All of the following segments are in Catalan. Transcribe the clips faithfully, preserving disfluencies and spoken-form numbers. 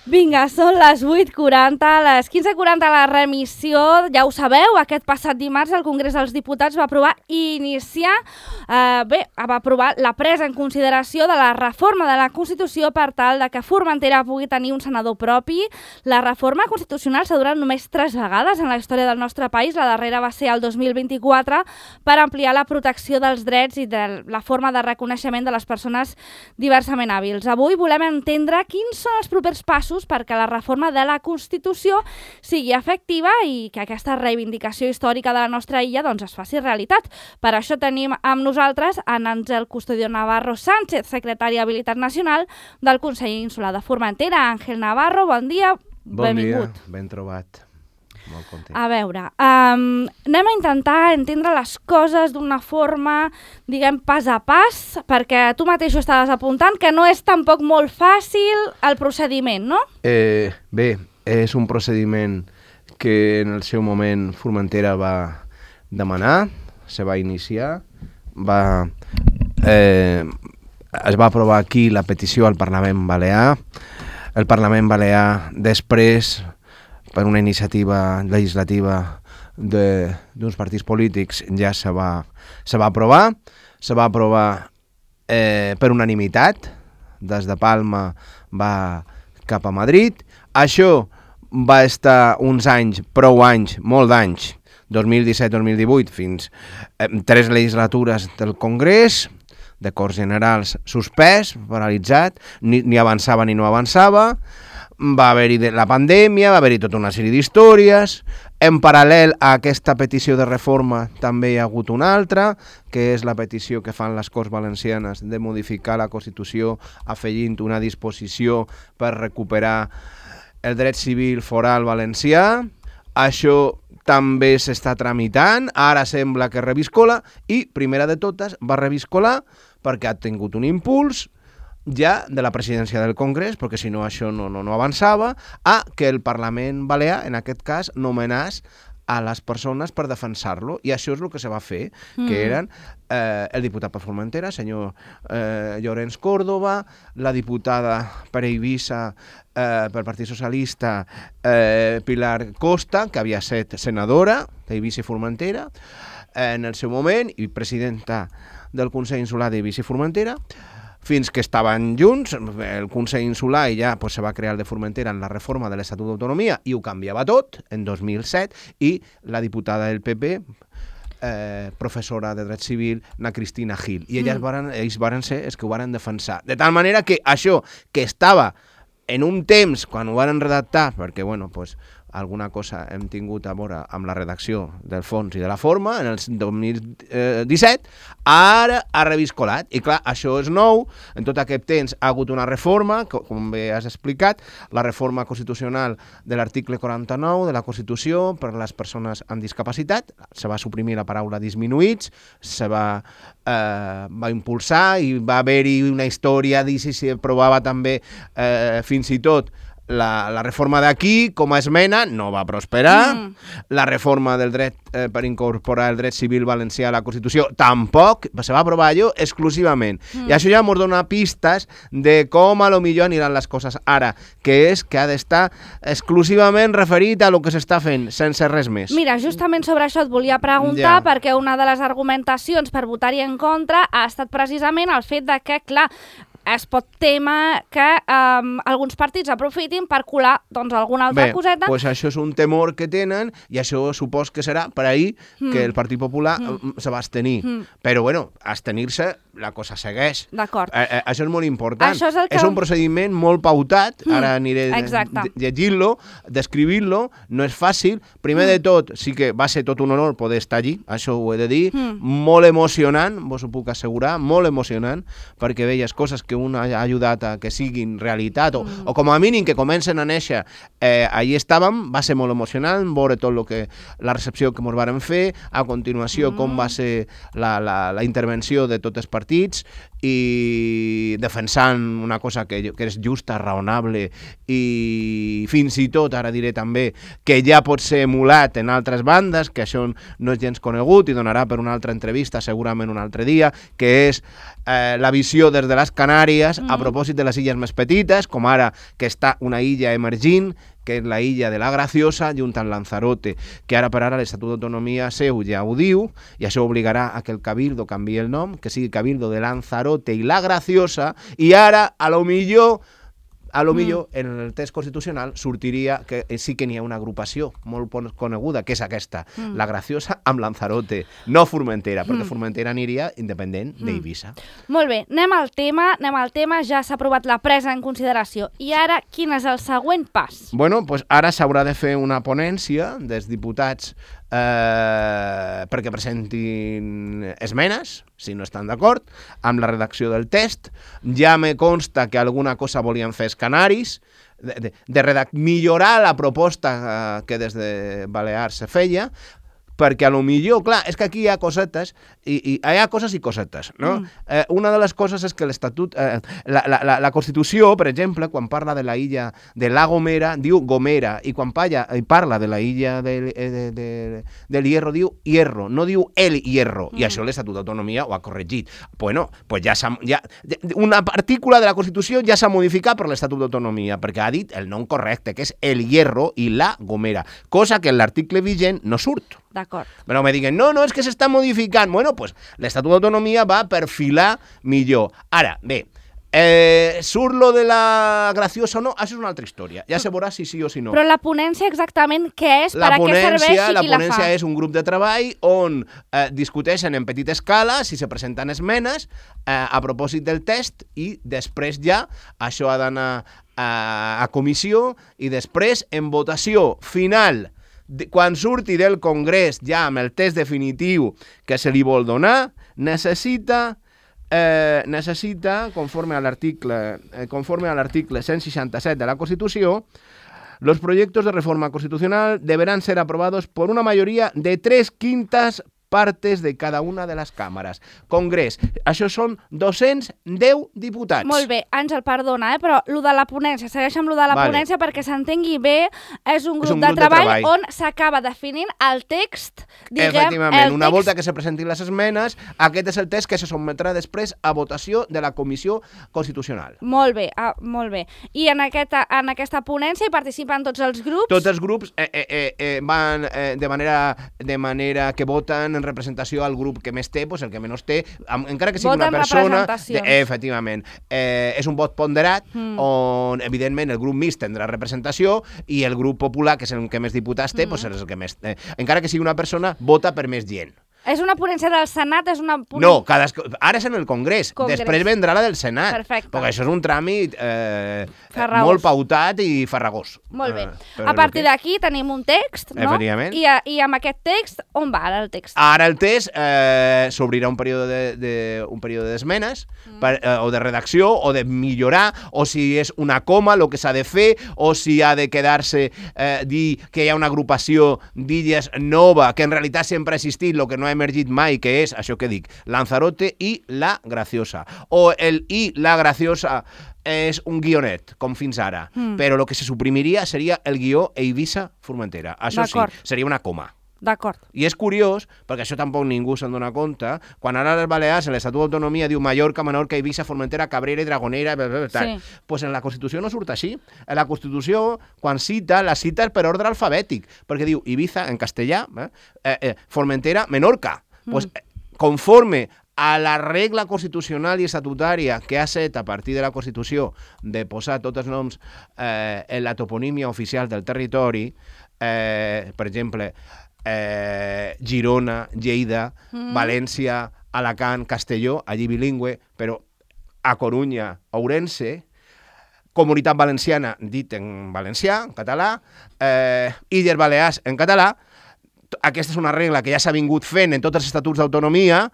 Vinga, són les vuit quaranta, les quinze quaranta la remissió, ja ho sabeu, aquest passat dimarts el Congrés dels Diputats va aprovar iniciar, eh, bé, va aprovar la presa en consideració de la reforma de la Constitució per tal de que Formentera pugui tenir un senador propi. La reforma constitucional s'ha durat només tres vegades en la història del nostre país, la darrera va ser el dos mil vint-i-quatre per ampliar la protecció dels drets i de la forma de reconeixement de les persones diversament hàbils. Avui volem entendre quins són els propers passos perquè la reforma de la Constitució sigui efectiva i que aquesta reivindicació històrica de la nostra illa doncs, es faci realitat. Per això tenim amb nosaltres en Àngel Custodio Navarro Sánchez, secretari d'Habilitat Nacional del Consell Insular de Formentera. Àngel Navarro, bon dia, bon benvingut. Bon dia, ben trobat. Molt content. A veure, um, anem a intentar entendre les coses d'una forma, diguem, pas a pas, perquè tu mateix ho estaves apuntant, que no és tampoc molt fàcil el procediment, no? Eh, bé, és un procediment que en el seu moment Formentera va demanar, se va iniciar, va, eh, es va aprovar aquí la petició al Parlament Balear. El Parlament Balear després, per una iniciativa legislativa d'uns partits polítics, ja se va, se va aprovar. Se va aprovar eh, per unanimitat, des de Palma va cap a Madrid. Això va estar uns anys, prou anys, molt d'anys, dos mil disset dos mil divuit, fins eh, tres legislatures del Congrés, de Corts Generals suspès, paralitzat, ni, ni avançava ni no avançava. Va haver-hi la pandèmia, va haver-hi tota una sèrie d'històries. En paral·lel a aquesta petició de reforma també hi ha hagut una altra, que és la petició que fan les Corts Valencianes de modificar la Constitució afegint una disposició per recuperar el dret civil foral valencià. Això també s'està tramitant, ara sembla que reviscola, i, primera de totes, va reviscolar perquè ha tingut un impuls ja de la presidència del Congrés, perquè si no això no, no, no avançava, a que el Parlament Balear, en aquest cas, nomenàs a les persones per defensar-lo, i això és el que se va fer, mm. que eren eh, el diputat per Formentera, senyor eh, Llorenç Córdoba, la diputada per Eivissa eh, pel Partit Socialista, eh, Pilar Costa, que havia estat senadora d'Eivissa i Formentera eh, en el seu moment, i presidenta del Consell Insular d'Eivissa i Formentera, fins que estaven junts, el Consell Insular, i ja pues, se va crear el de Formentera en la reforma de l'Estatut d'Autonomia, i ho canviava tot, en dos mil set, i la diputada del P P, eh, professora de dret civil, na Cristina Gil. I elles mm. varen, ells varen ser els que ho varen defensar. De tal manera que això, que estava en un temps, quan ho varen redactar, perquè, bueno, pues, alguna cosa hem tingut a veure amb la redacció del fons i de la forma, en el dos mil disset, ara ha reviscolat. I clar, això és nou, en tot aquest temps ha hagut una reforma, com bé has explicat, la reforma constitucional de l'article quaranta-nou de la Constitució per a les persones amb discapacitat, se va suprimir la paraula disminuïts, se va, eh, va impulsar i va haver-hi una història, i si s'aprovava també eh, fins i tot La, la reforma d'aquí, com a esmena, no va prosperar. Mm. La reforma del dret eh, per incorporar el dret civil valencià a la Constitució tampoc, se va aprovar allò exclusivament. Mm. I això ja ens dona pistes de com a lo millor aniran les coses ara, que és que ha d'estar exclusivament referit a lo que s'està fent, sense res més. Mira, justament sobre això et volia preguntar, ja. perquè una de les argumentacions per votar-hi en contra ha estat precisament el fet de que, clar, es pot temer que um, alguns partits aprofitin per colar doncs, alguna altra Bé, coseta. Doncs això és un temor que tenen, i això supos que serà per ahir mm. que el Partit Popular mm. se va abstenir. Mm. Però, bueno, abstenir-se, la cosa segueix. D'acord. Eh, eh, això és molt important. Això és, el que... és un procediment molt pautat, mm. ara aniré llegint-lo, descrivint-lo, no és fàcil. Primer mm. de tot, sí que va ser tot un honor poder estar allí, això ho he de dir, mm. molt emocionant, vos ho puc assegurar, molt emocionant, perquè veies coses que un ha ajudat a que siguin realitat, o, mm. o com a mínim que comencen a néixer. Eh, allí estàvem, va ser molt emocionant, veure tot lo que, la recepció que ens varen fer, a continuació mm. com va ser la, la, la intervenció de tots els partits, i defensant una cosa que, que és justa, raonable i fins i tot, ara diré també, que ja pot ser emulat en altres bandes, que això no és gens conegut i donarà per una altra entrevista segurament un altre dia, que és eh, la visió des de les Canàries mm. a propòsit de les illes més petites, com ara que està una illa emergint, que és la illa de la Graciosa, junt amb Lanzarote, que ara per ara l'Estatut d'Autonomia seu ja ho diu, i això obligarà a que el Cabildo canviï el nom, que sigui Cabildo de Lanzarote i la Graciosa, i ara, a lo millor, a lo millor, mm. en el text constitucional sortiria que sí que n'hi ha una agrupació molt coneguda, que és aquesta, mm. la Graciosa amb Lanzarote, no Formentera, mm. perquè Formentera aniria independent mm. d'Eivissa. Molt bé, anem al tema, anem al tema, ja s'ha aprovat la presa en consideració. I ara, quin és el següent pas? Bueno, pues ara s'haurà de fer una ponència dels diputats eh, perquè presentin esmenes, si no estan d'acord, amb la redacció del text. Ja me consta que alguna cosa volien fer els canaris, de, de, de redac- millorar la proposta eh, que des de Balears se feia, perquè a lo millor, clar, és que aquí hi ha cosetes, i, i hi ha coses i cosetes, no? Mm. Eh, una de les coses és que l'Estatut, eh, la, la, la, la Constitució, per exemple, quan parla de la illa de la Gomera, diu Gomera, i quan parla, parla de la illa de, de, de, del Hierro, diu Hierro, no diu el Hierro, mm. i això l'Estatut d'Autonomia ho ha corregit. Bueno, pues ja, ja una partícula de la Constitució ja s'ha modificat per l'Estatut d'Autonomia, perquè ha dit el nom correcte, que és el Hierro i la Gomera, cosa que en l'article vigent no surt. D'acord. Però me diguen, no, no, és que s'està modificant. Bueno, pues l'Estatut d'Autonomia va perfilar millor. Ara, bé, eh, surt lo de la Graciosa o no? Això és una altra història. Ja se veurà si sí o si no. Però la ponència exactament què és? La per ponència, a què serveix i la qui la fa? La ponència és un grup de treball on eh, discuteixen en petita escala si se presenten esmenes eh, a propòsit del text i després ja això ha d'anar a, a comissió i després en votació final. De, quan surti del Congrés ja amb el text definitiu que se li vol donar, necessita, eh, necessita conforme a l'article eh, conforme a l'article cent seixanta-set de la Constitució, los proyectos de reforma constitucional deberán ser aprobados por una mayoría de tres quintas partes de cada una de les càmeres. Congrés, això són dos-cents deu diputats. Molt bé, Àngel, perdona, eh? però lo de la ponència, segueix amb lo de la vale. ponència perquè s'entengui bé, és un grup, és un de, grup treball de treball on s'acaba definint el text, diguem, efectivament, el una text... volta que se presentin les esmenes, aquest és el text que se sotmetrà després a votació de la Comissió Constitucional. Molt bé, ah, molt bé. I en aquesta, en aquesta ponència hi participen tots els grups? Tots els grups eh, eh, eh, van eh, de, manera, de manera que voten en representació al grup que més té, pues el que menys té, amb, encara que sigui Voten una persona... representacions. De, efectivament. Eh, és un vot ponderat mm. on, evidentment, el grup mixt tindrà representació i el grup popular, que és el que més diputats té, mm. pues és el que més... Eh, encara que sigui una persona, vota per més gent. És una ponència del Senat? És una ponència... No, cada... ara és en el Congrés. Congrés. Després vendrà la del Senat. Perfecte. Perquè això és un tràmit eh, molt pautat i farragós. Molt bé. Eh, a partir que... d'aquí tenim un text, no? Efectivament. I, a, I amb aquest text, on va ara el text? Ara el text eh, s'obrirà un període de, de, un període d'esmenes mm. per, eh, o de redacció o de millorar, o si és una coma el que s'ha de fer, o si ha de quedar-se eh, dir que hi ha una agrupació d'illes nova que en realitat sempre ha existit, el que no ha emergit mai, que és això que dic, Lanzarote i la Graciosa. O el i la Graciosa és un guionet, com fins ara, mm. però el que se suprimiria seria el guió Eivissa-Formentera. Això sí, seria una coma. D'acord. I és curiós, perquè això tampoc ningú se'n dona compte, quan ara les Balears, en l'Estatut d'Autonomia, diu Mallorca, Menorca, Eivissa, Formentera, Cabrera i Dragonera, tal. Sí. Pues en la Constitució no surt així. En la Constitució, quan cita, la cita per ordre alfabètic, perquè diu Ibiza, en castellà, eh, eh, Formentera, Menorca. Mm. Pues, conforme a la regla constitucional i estatutària que ha set a partir de la Constitució de posar tots els noms eh, en la toponímia oficial del territori, eh, per exemple, eh, Girona, Lleida, mm. València, Alacant, Castelló, allí bilingüe, però a Corunya, Ourense, Comunitat Valenciana, dit en valencià, en català, eh, Illes Balears, en català. Aquesta és una regla que ja s'ha vingut fent en tots els estatuts d'autonomia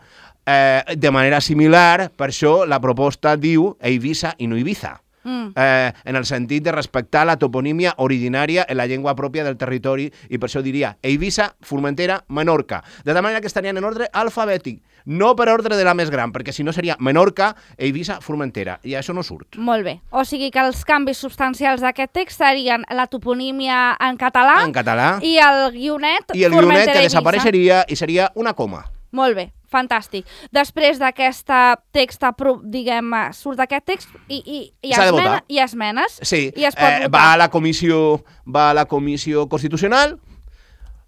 eh, de manera similar, per això la proposta diu Eivissa i no Ibiza. mm. eh, en el sentit de respectar la toponímia originària en la llengua pròpia del territori, i per això diria Eivissa, Formentera, Menorca. De tal manera que estarien en ordre alfabètic, no per ordre de la més gran, perquè si no seria Menorca, Eivissa, Formentera, i això no surt. Molt bé. O sigui que els canvis substancials d'aquest text serien la toponímia en català, en català i el guionet i el guionet que desapareixeria i seria una coma. Molt bé, fantàstic. Després d'aquest text, diguem, surt aquest text i, i, i, esmena, i esmenes. Sí, i es pot eh, va, a la comissió, va a la comissió constitucional,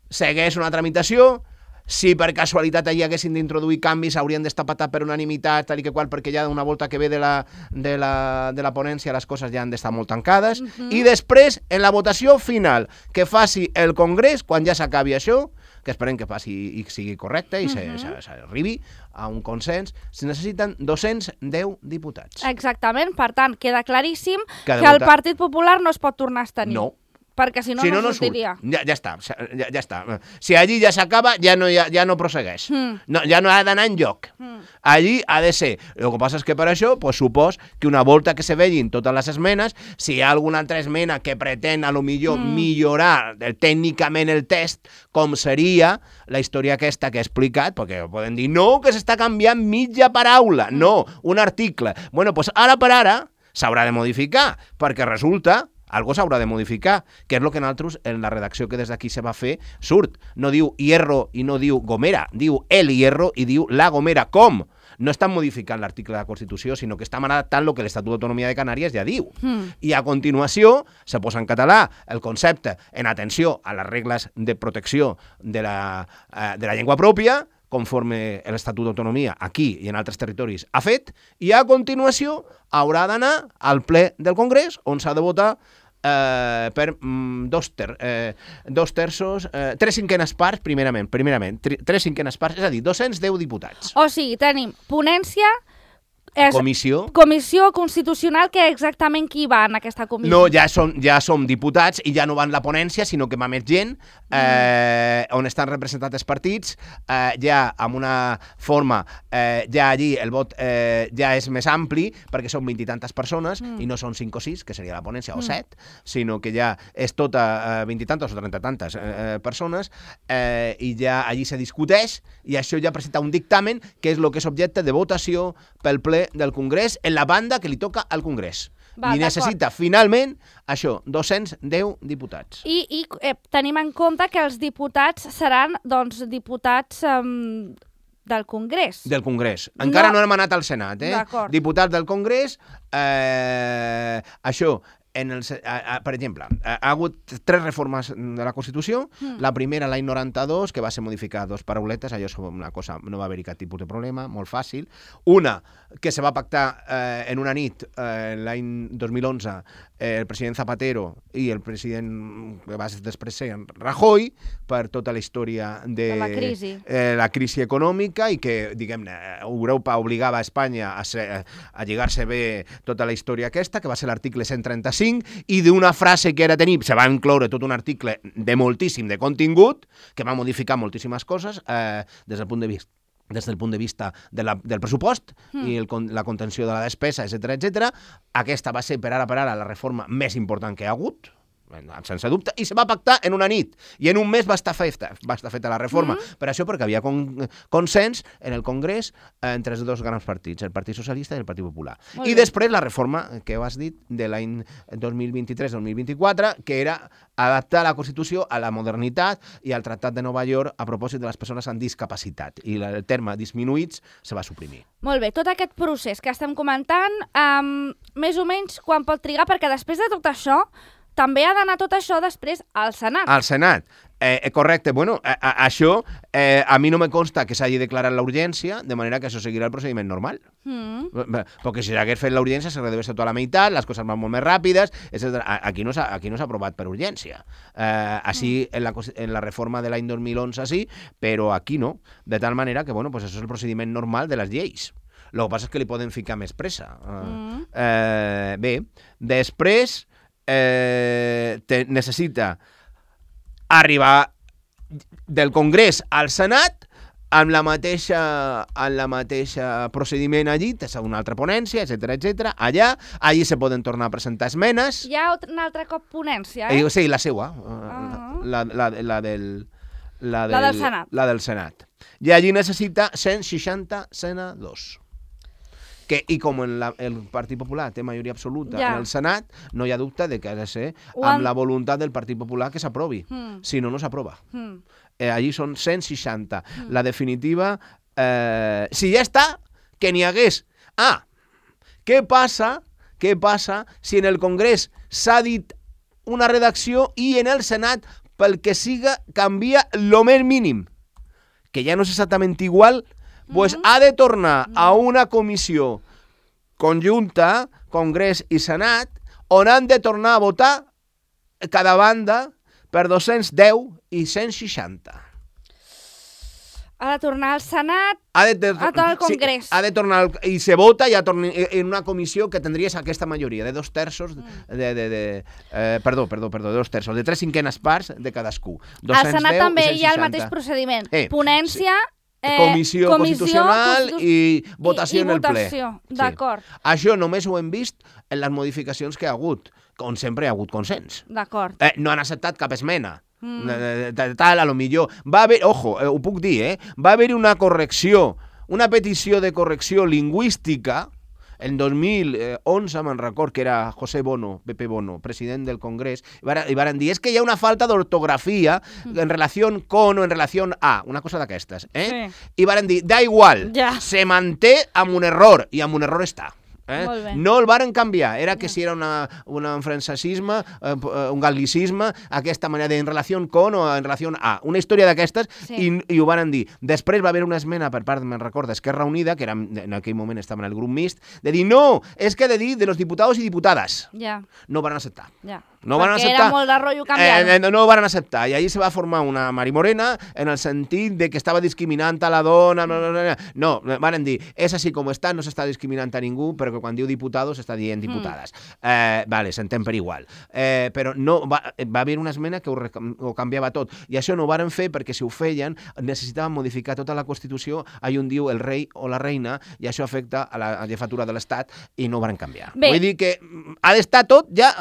segueix una tramitació. Si per casualitat allà haguessin d'introduir canvis haurien d'estar patat per unanimitat, tal i que qual, perquè ja una volta que ve de la, de la, de la ponència les coses ja han d'estar molt tancades. Uh-huh. I després, en la votació final que faci el Congrés, quan ja s'acabi això, que esperem que passi i sigui correcte i uh-huh. s'arribi a un consens, se necessiten dos-cents deu diputats. Exactament, per tant, queda claríssim que, que el Partit Popular no es pot tornar a abstenir. No. Perquè si no, si no, no, no sortiria. Surt. Ja, ja està, ja, ja està. Si allí ja s'acaba, ja no, ja, ja no prossegueix. Mm. No, ja no ha d'anar enlloc. Mm. Allí ha de ser. El que passa és que per això, pues, supos que una volta que se vegin totes les esmenes, si hi ha alguna altra esmena que pretén a lo millor mm. millorar el, tècnicament el test, com seria la història aquesta que he explicat, perquè poden dir, no, que s'està canviant mitja paraula, mm. no, un article. Bueno, pues ara per ara s'haurà de modificar, perquè resulta algo s'haurà de modificar, que és el que nosaltres, en la redacció que des d'aquí se va fer, surt. No diu hierro i no diu gomera, diu el hierro i diu la gomera. Com? No estan modificant l'article de la Constitució, sinó que estan adaptant el que l'Estatut d'Autonomia de Canàries ja diu. Mm. I a continuació se posa en català el concepte en atenció a les regles de protecció de la, eh, de la llengua pròpia, conforme l'Estatut d'Autonomia aquí i en altres territoris ha fet, i a continuació haurà d'anar al ple del Congrés, on s'ha de votar Eh, per mm, dos, ter, eh, dos terços, eh, tres cinquenes parts, primerament, primerament, tri, tres cinquenes parts, és a dir, dos-cents deu diputats. O sigui, tenim ponència, és comissió. Comissió constitucional, que exactament qui va en aquesta comissió? No, ja som, ja som diputats i ja no van la ponència, sinó que va més gent, eh, mm. on estan representats els partits, eh, ja amb una forma, eh, ja allí el vot eh, ja és més ampli, perquè són vint i tantes persones, mm. i no són cinc o sis, que seria la ponència, mm. o set, sinó que ja és tota eh, vint i tantes o trenta tantes eh, persones, eh, i ja allí se discuteix, i això ja presenta un dictamen, que és el que és objecte de votació pel ple del Congrés en la banda que li toca al Congrés. Va, I necessita, finalment, això, dos-cents deu diputats. I, i eh, tenim en compte que els diputats seran, doncs, diputats um, del Congrés. Del Congrés. Encara no, no hem anat al Senat, eh? Diputats del Congrés, eh, això... En el, a, a, per exemple, ha, ha hagut tres reformes de la Constitució. Mm. La primera, l'any noranta-dos, que va ser modificar dos parauletes, allò és una cosa, no va haver-hi cap tipus de problema, molt fàcil. Una, que se va pactar eh, en una nit, eh, l'any dos mil onze, eh, el president Zapatero i el president que va després ser Rajoy, per tota la història de, de la, crisi. Eh, la crisi econòmica, i que, diguem-ne, Europa obligava a Espanya a, ser, a lligar-se bé tota la història aquesta, que va ser l'article cent trenta-cinc, i d'una frase que era tenir, se va incloure tot un article de moltíssim de contingut, que va modificar moltíssimes coses eh, des del punt de vista des del punt de vista de la, del pressupost mm. i el, la contenció de la despesa, etcètera, etcètera. Aquesta va ser, per ara per ara, la reforma més important que hi ha hagut, sense dubte, i se va pactar en una nit, i en un mes va estar feta, va estar feta la reforma, mm-hmm. per això perquè havia con, consens en el Congrés eh, entre els dos grans partits, el Partit Socialista i el Partit Popular. Molt I bé. Després la reforma que ho has dit de l'any dos mil vint-i-tres dos mil vint-i-quatre, que era adaptar la Constitució a la modernitat i al Tractat de Nova York a propòsit de les persones amb discapacitat, i el terme disminuïts se va suprimir. Molt bé, tot aquest procés que estem comentant, um, més o menys quan pot trigar, perquè després de tot això també ha d'anar tot això després al Senat. Al Senat, eh, correcte. Bueno, a, a, això eh, a mi no me consta que s'hagi declarat la urgència, de manera que això seguirà el procediment normal. Mm. Perquè si s'hagués fet la urgència s'hauria d'haver fet tota la meitat, les coses van molt més ràpides, etcètera. Aquí no s'ha aquí no s'ha aprovat per urgència. Eh, així mm. en, la, en la reforma de l'any dos mil onze sí, però aquí no. De tal manera que, bueno, pues això és el procediment normal de les lleis. El que passa és que li poden ficar més pressa. Mm. Eh, bé, després... Eh, te, necessita arribar del Congrés al Senat amb la mateixa, en la mateixa procediment allí, tens una altra ponència, etcètera, etcètera. Allà, allí se poden tornar a presentar esmenes. Hi ha un altre cop ponència, eh? eh sí, la seua, Ah. la, la, la, del, la, del, La del Senat. La del Senat. I allí necessita cent seixanta senadors. Que, I com en la, el Partit Popular té majoria absoluta Ja. en el Senat, no hi ha dubte de que ha de ser Ho amb han- la voluntat del Partit Popular que s'aprovi. Mm. Si no, no s'aprova. Mm. Eh, allí són cent seixanta. La definitiva, eh, si ja està, que n'hi hagués. Ah, què passa, què passa si en el Congrés s'ha dit una redacció i en el Senat, pel que siga, canvia lo més mínim? Que ja no és exactament igual, pues ha de tornar a una comissió conjunta, Congrés i Senat, on han de tornar a votar cada banda per dos-cents deu i cent seixanta. Ha de tornar al Senat, Ha de, de, a tot el Congrés. Sí, ha de tornar al, i se vota ja torna, en una comissió que tindries aquesta majoria de dos terços de, de, de eh, perdó, perdó, perdó, de dos terços, de tres cinquenes parts de cadascú. al Senat també i hi ha el cent seixanta. mateix procediment. Eh, Ponència, eh, Comissió, constitucional constitu- i votació i, i en el ple. votació. Sí. D'acord, Això només ho hem vist en les modificacions que hi ha hagut, on sempre hi ha hagut consens. d'acord. Eh, no han acceptat cap esmena. Mm. De, de, tal, a lo millor. Va haver, ojo, eh, ho puc dir, eh? Va haver una correcció, una petició de correcció lingüística en dos mil onze, me'n record, que era José Bono, Pepe Bono, president del Congrés, i varen, i varen dir, és que hi ha una falta d'ortografia mm. en relació con o en relació a, una cosa d'aquestes, eh? Sí. I varen dir, da igual, Ja. se manté amb un error, i amb un error està. Eh? Molt bé. No el varen canviar, era que si era una, una, un francesisme, eh, un gal·licisme, aquesta manera de en relació con o en relació a, una història d'aquestes, Sí. i, i ho varen dir. Després va haver una esmena per part, me'n recordo, d'Esquerra Unida, que era, en aquell moment estava en el grup mixt, de dir, no, és que ha de dir de los diputados i diputades. Ja, No van acceptar. ja. No van Perquè acceptar. era molt de rotllo canviar-ho. Eh, no, no ho van acceptar. I allí se va formar una Marimorena en el sentit de que estava discriminant a la dona. No, no, no, no. no van dir, és així com està, no s'està discriminant a ningú, però que quan diu diputados està dient diputades. Mm. Eh, vale, s'entén per igual. Eh, però no, va, va haver una esmena que ho, ho canviava tot. I això no ho varen fer perquè si ho feien necessitaven modificar tota la Constitució allà on diu el rei o la reina, i això afecta a la jefatura de l'Estat i no ho varen canviar. Bé. Vull dir que ha d'estar tot ja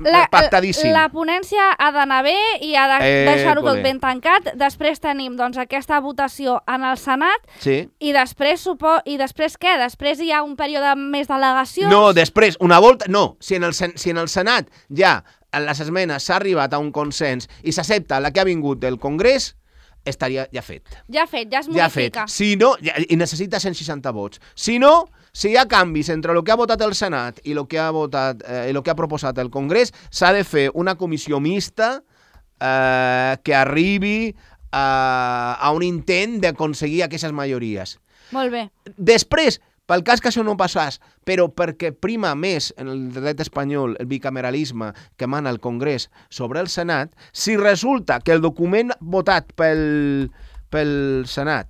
La, pactadíssim. la ponència ha d'anar bé i ha de Eh, deixar-ho tot cole. ben tancat. Després tenim doncs, aquesta votació en el Senat Sí. i després, supo... i després què? Després hi ha un període més d'al·legacions? No, després, una volta... No, si en el, sen- si en el Senat ja en les esmenes s'ha arribat a un consens i s'accepta la que ha vingut del Congrés, estaria ja fet. Ja fet, ja es Ja fet. modifica. Si no, ja, i necessita cent seixanta vots. Si no, si hi ha canvis entre el que ha votat el Senat i el que ha, votat, eh, i el que ha proposat el Congrés, s'ha de fer una comissió mixta eh, que arribi a, a un intent d'aconseguir aquestes majories. Molt bé. Després, pel cas que això no passàs, però perquè prima més en el dret espanyol el bicameralisme que mana el Congrés sobre el Senat, si resulta que el document votat pel, pel Senat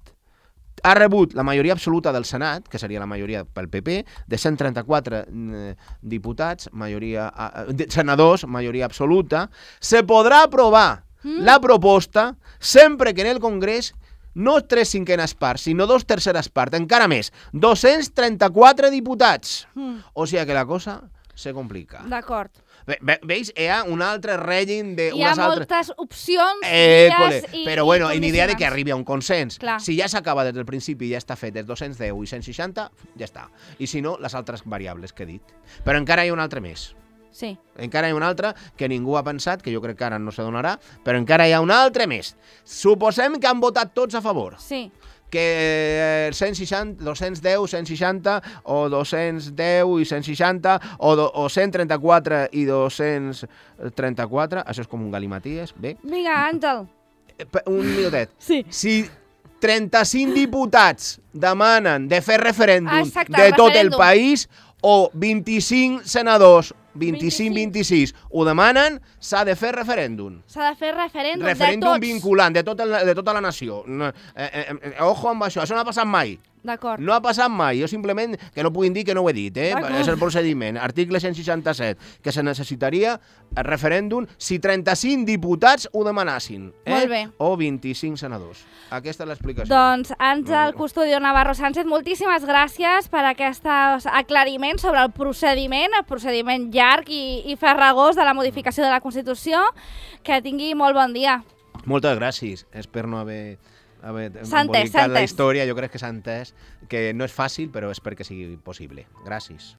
ha rebut la majoria absoluta del Senat, que seria la majoria pel P P, de cent trenta-quatre eh, diputats, majoria, eh, de, senadors, majoria absoluta, se podrà aprovar mm. la proposta sempre que en el Congrés no tres cinquenes parts, sinó dos terceres parts, encara més, dos-cents trenta-quatre diputats. Mm. O sigui que la cosa se complica. D'acord. Ve, ve, veus? Hi ha un altre règim de Hi ha unes altres... moltes opcions, Eh, vies cole, i però bueno, i i ni idea de que condicionants. arribi a un consens. Clar. Si ja s'acaba des del principi i ja està fet des dos-cents deu i cent seixanta, ja està. I si no, les altres variables que he dit. Però encara hi ha un altre més. Sí. Encara hi ha un altre que ningú ha pensat, que jo crec que ara no se donarà, però encara hi ha un altre més. Suposem que han votat tots a favor. Sí. Que cent seixanta, dos-cents deu, cent seixanta, o dos-cents deu i cent seixanta, o, do, o cent trenta-quatre i dos-cents trenta-quatre, això és com un galimaties, bé. Vinga, Àngel. Eh, Un minutet. Sí. Si trenta-cinc diputats demanen de fer referèndum Exacte, de tot el referèndum. país, o vint-i-cinc senadors, vint-i-cinc vint-i-sis, ho demanen, s'ha de fer referèndum. S'ha de fer referèndum, Referèndum de tots. vinculant de tota, la, de tota la nació. No, eh, eh, eh, ojo amb això, això no ha passat mai. D'acord. No ha passat mai, jo simplement que no puguin dir que no ho he dit, eh? D'acord. És el procediment. Article cent seixanta-set, que se necessitaria el referèndum si trenta-cinc diputats ho demanassin, eh? Molt bé. O vint-i-cinc senadors. Aquesta és l'explicació. Doncs Àngel Custodio Navarro Sánchez, moltíssimes gràcies per aquest aclariment sobre el procediment, el procediment llarg i, i farragós de la modificació de la Constitució. Que tingui molt bon dia. Moltes gràcies. Espero no haver... haver S'ha entès, s'ha embolicat la entès. història. Jo crec que s'ha entès que no és fàcil, però espero que sigui possible. Gràcies.